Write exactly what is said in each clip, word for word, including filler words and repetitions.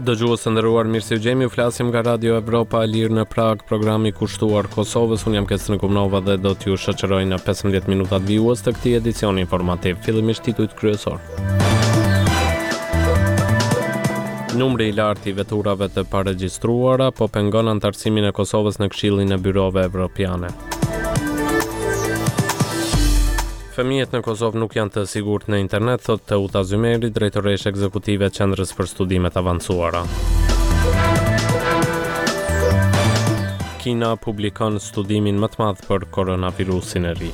Dëgjues të nderuar, mirë se ju gjejmë. Ju flasim nga Radio Evropa e Lirë në Prag, programi kushtuar Kosovës. Unë jam Kesën Kumnova dhe do t'ju shoqëroj në pesëmbëdhjetë minutat vijues të këtij edicioni informativ. Fillimisht titujt kryesor. Numri i lartë i veturave të paregjistruara po pengon anëtarësimin e Kosovës në Këshillin e Byrove Evropiane. Fëmijët në Kosovë nuk janë të sigurt në internet, thotë Teuta Zymeri, drejtoreshe ekzekutive e Qendrës për Studime të Avancuara. Kina publikon studimin më të madh për koronavirusin e ri.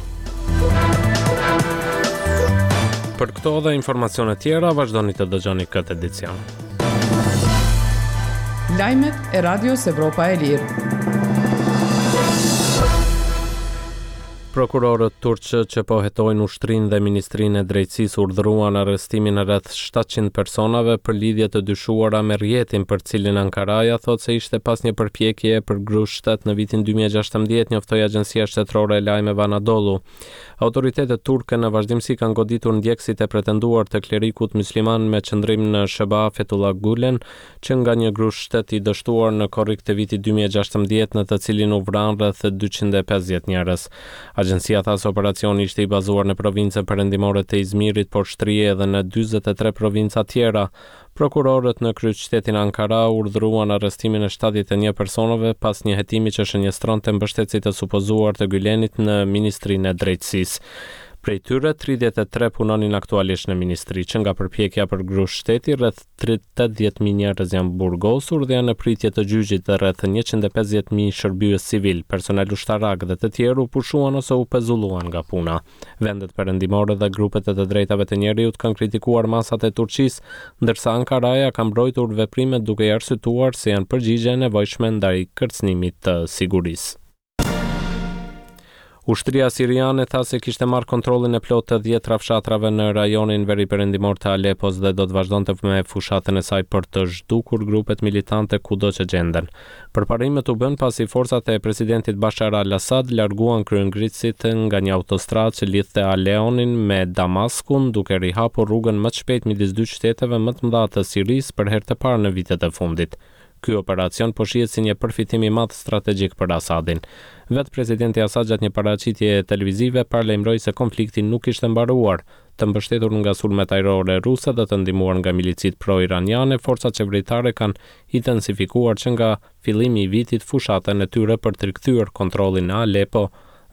Për këto dhe informacione tjera, vazhdoni të dëgjoni këtë edicion. Lajmet e Radios Evropa e Lirë. Prokurorët turq që po hetojnë ushtrinë dhe Ministrinë e Drejtësisë urdhëruan arrestimin e rreth shtatëqind personave për lidhje të dyshuara me rrjetin për cilin Ankaraja thotë se ishte pas një përpjekjeje për grusht shtet në vitin dy mijë e gjashtëmbëdhjetë, njoftoi Agjencia Shtetërore e Lajmeve Anadolu. Autoritetet turke në vazhdimësi kanë goditur ndjekësit e pretenduar të klerikut musliman me qëndrim në S H B A Fethullah Gulen, që nga një grusht shtet i dështuar në korrik të vitit dy mijë e gjashtëmbëdhjetë në të cilin u vranë rreth dyqind e pesëdhjetë njerëz. Agjencia tha se operacioni ishte i bazuar në provincën perëndimore të Izmirit, por shtrihej edhe në dyzet e tre provinca tjera. Prokurorët në kryeqytetin Ankara urdhëruan arrestimin e shtatëdhjetë e një personave pas një hetimi që shënjestronte mbështetësit e supozuar të Gülenit në Ministrinë e Drejtësisë. Prej tyre, tridhjetë e tre punonin aktualisht në ministri, që nga përpjekja për grusht shteti, rreth tetëdhjetë mijë njerëz janë burgosur dhe janë në pritje të gjyqit dhe rreth njëqind e pesëdhjetë mijë shërbyes civil, personel ushtarak dhe të tjerë u pushuan ose u pezulluan nga puna. Vendet perëndimore dhe grupet e të drejtave të njeriut kanë kritikuar masat e Turqisë, ndërsa Ankaraja ka mbrojtur veprimet duke i arsyetuar se janë përgjigje e nevojshme ndaj kërcënimit të sigurisë. Ushtria siriane tha se kishte marrë kontrollin e plotë të dhjetra fshatrave në rajonin veriperëndimor të Alepos dhe do të vazhdonte me fushatën e saj për të zhdukur grupet militante kudo që gjenden. Përparimet u bën pasi forcat e presidentit Bashar al-Assad larguan kryengritësit nga një autostradë që lidhte Aleonin me Damaskun, duke rihapur rrugën më të shpejtë midis dy qyteteve më të mëdha të Sirisë për herë të parë në vitet e fundit. Ky operacion po shihet si një përfitim i madh strategjik për Assadin. Vetë presidenti Assad gjatë një paraqitje televizive paralajmëroi se konflikti nuk ishte mbaruar, të mbështetur nga sulmet ajrore ruse dhe të ndihmuar nga milicitë pro-iraniane, forcat qeveritare kanë intensifikuar që nga fillimi i vitit fushatën e tyre për të rikthyer kontrollin në Aleppo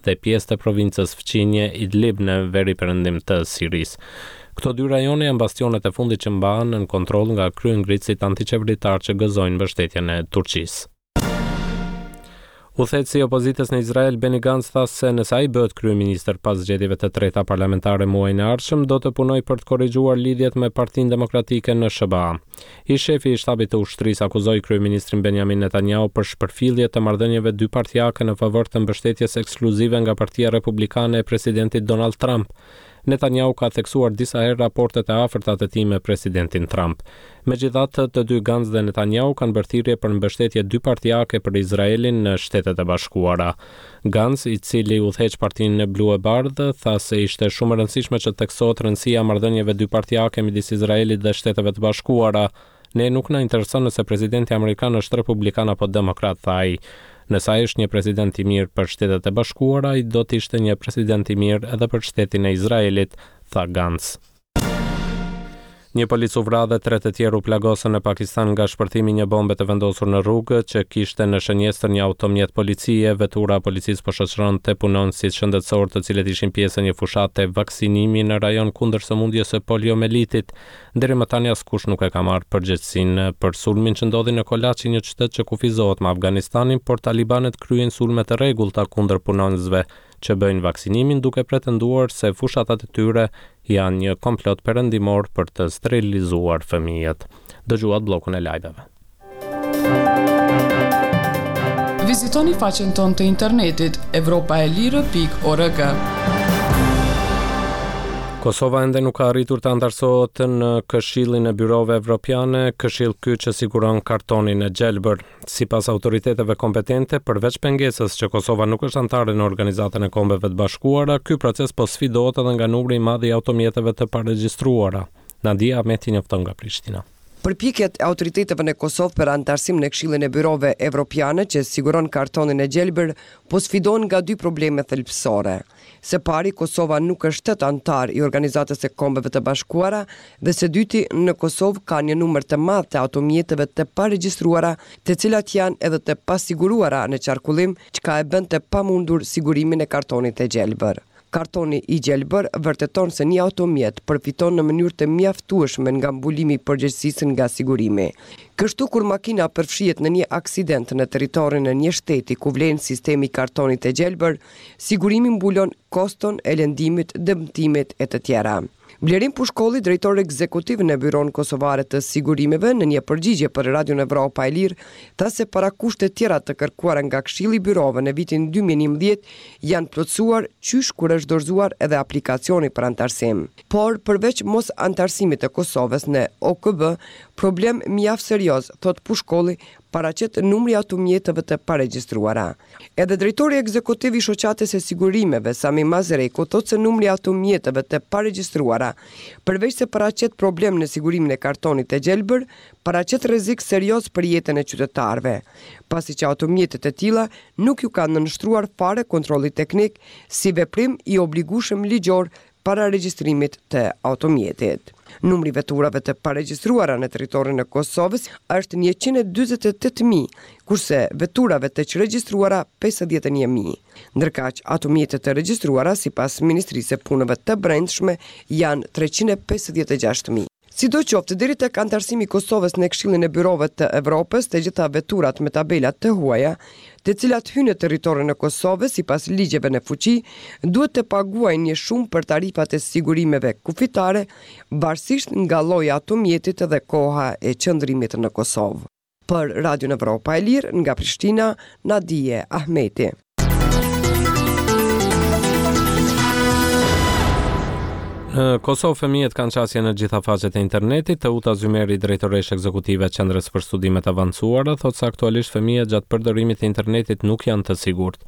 dhe pjesë të provincës fqinje Idlib në veriperëndim të Sirisë. Këto dy rajone janë bastionet e fundit që mbahen nën kontroll nga kryengritësit antiqeveritar që gëzojnë mbështetjen e Turqisë. Udhëheqësi i opozitës në Izrael, Benny Gantz, tha se nëse ai bëhet kryeministër pas zgjedhjeve të treta parlamentare muajin e ardhshëm, do të punojë për të korrigjuar lidhjet me Partinë Demokratike në S H B A. I shefi i shtabit të ushtrisë akuzoi kryeministrin Benjamin Netanyahu për shpërfillje të marrëdhënieve dypartiake në favor të mbështetjes ekskluzive nga Partia Republikane e presidentit Donald Trump. Netanyahu ka theksuar disa herë raportet e afërta të tij me presidentin Trump. Megjithatë, të dy Gantz dhe Netanyahu kanë bërë thirrje për mbështetje dypartiake për Izraelin në Shtetet e Bashkuara. Gantz, i cili udhëheq partinë Blu e Bardhë, tha se ishte shumë e rëndësishme që të theksohet rëndësia e marrëdhënieve dypartiake midis Izraelit dhe Shteteve të Bashkuara. Ne nuk na intereson nëse presidenti amerikan është republikan apo demokrat, tha ai. Nëse ai është një president i mirë për Shtetet e Bashkuara, ai do të ishte një president i mirë edhe për shtetin e Izraelit, tha Gantz. Një polic u vra dhe tre të tjerë u plagosën në Pakistan nga shpërthimi i një bombe të vendosur në rrugë që kishte në shënjestër një automjet policie. Vetura e policisë po shoqëronte punonësit shëndetësor të cilët ishin pjesë e një fushate vaksinimi në rajon kundër sëmundjes së poliomelitit. Deri më tani askush nuk e ka marrë përgjegjësinë për sulmin që ndodhi në Kolaçi, një qytet që kufizohet me Afganistanin, por talibanët kryejnë sulme të rregullta kundër punonësve që bëjnë vaksinimin, duke pretenduar se fushatat e tyre janë një komplot perëndimor për të sterilizuar fëmijët. Dëgjuat bllokun e lajmeve. Vizitoni faqen tonë të internetit evropa e lirë pikë org. Kosova ende nuk ka arritur të anëtarësohet në Këshillin e Byrove Evropiane, këshill ky që siguron kartonin e gjelbër. Sipas autoriteteve kompetente, përveç pengesës që Kosova nuk është anëtare në Organizatën e Kombeve të Bashkuara, ky proces po sfidohet edhe nga numri i madh i automjeteve të paregjistruara. Nadia Ahmeti njofton nga Prishtina. Përpjekjet e autoriteteve në Kosovë për anëtarësim në Këshillin e Byrove Evropiane që siguron kartonin e gjelbër po sfidohen nga dy probleme thelbësore. Së pari, Kosova nuk është shtet anëtar i Organizatës së Kombeve të Bashkuara dhe së dyti, në Kosovë ka një numër të madh të automjeteve të paregjistruara, të cilat janë edhe të pasiguruara në qarkullim, çka e bën të pamundur sigurimin e kartonit të gjelbër. Kartoni i gjelbër vërteton se një automjet përfiton në mënyrë të mjaftueshme nga mbulimi i përgjegjësisë nga sigurimi. Kështu kur makina përfshihet në një aksident në territorin e një shteti ku vlen sistemi i kartonit të gjelbër, sigurimi mbulon koston e lëndimit, dëmtimit e të tjera. Blerim Pushkolli, drejtor ekzekutiv në Byronë Kosovare të Sigurimeve, në një përgjigje për Radion Evropa e Lirë, tha se parakushtet tjera të kërkuara nga Këshilli i Byrove në vitin dy mijë e njëmbëdhjetë janë plotësuar qysh kur është dorëzuar edhe aplikacioni për anëtarësim. Por, përveç mos anëtarësimit të Kosovës në O K B, problem mjaft serioz, thotë Pushkolli, paraqet numri i automjeteve të paregjistruara. Edhe drejtori ekzekutiv i Shoqatës së Sigurimeve, Sami Mazreku, thotë se numri i automjeteve të paregjistruara, përveç se paraqet problem në sigurimin e kartonit të gjelbër, paraqet rrezik serioz për jetën e qytetarëve, pasi që automjetet e tilla nuk ju kanë nënshtruar fare kontrollit teknik si veprim i obligueshëm ligjor para regjistrimit të automjetit. Numri i veturave të paregjistruara në territorin e Kosovës është njëqind e dyzet e tetë mijë, kurse veturave të çregjistruara pesëdhjetë e një mijë. Ndërkaq, automjetet të regjistruara sipas Ministrisë së Punëve të Brendshme janë treqind e pesëdhjetë e gjashtë mijë. Sidoqoftë, deri tek anëtarësimi i Kosovës në Këshillin e Byrove të Evropës, të gjitha veturat me tabela të huaja, të cilat hyjnë në territorin e Kosovës sipas ligjeve në fuqi, duhet të paguajnë një shumë për tarifat e sigurimeve kufitare, varësisht nga lloji i automjetit dhe koha e qëndrimit në Kosovë. Për Radion Evropa e Lirë, nga Prishtina, Nadie Ahmeti. Në Kosovë fëmijët kanë qasje në gjitha faqet e internetit. Teuta Zymeri, drejtoresh ekzekutive e Qendrës për Studimet e Avancuara, thotë se aktualisht fëmijët gjatë përdorimit të internetit nuk janë të sigurt.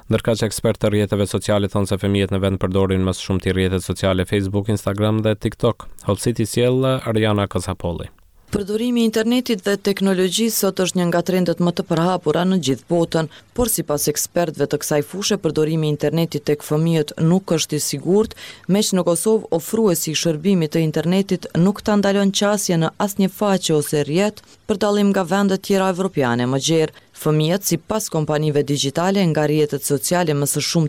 Ndërkaq ekspertë të rrjeteve sociale thonë se fëmijët në vend përdorin më së shumti rrjetet sociale Facebook, Instagram dhe TikTok. Hollësit i sjell Ariana Kasapolli. Përdorimi i internetit dhe teknologjisë sot është një nga trendet më të përhapura në gjithë botën, por sipas ekspertëve të kësaj fushe, përdorimi i internetit tek fëmijët nuk është i sigurt, meqë në Kosovë ofruesi i shërbimit të internetit nuk ta ndalon qasje në asnjë faqe ose rrjet, për dallim nga vendet tjera evropiane më gjerë. Fëmijët, sipas kompanive digjitale, nga rrjetet sociale më së shumti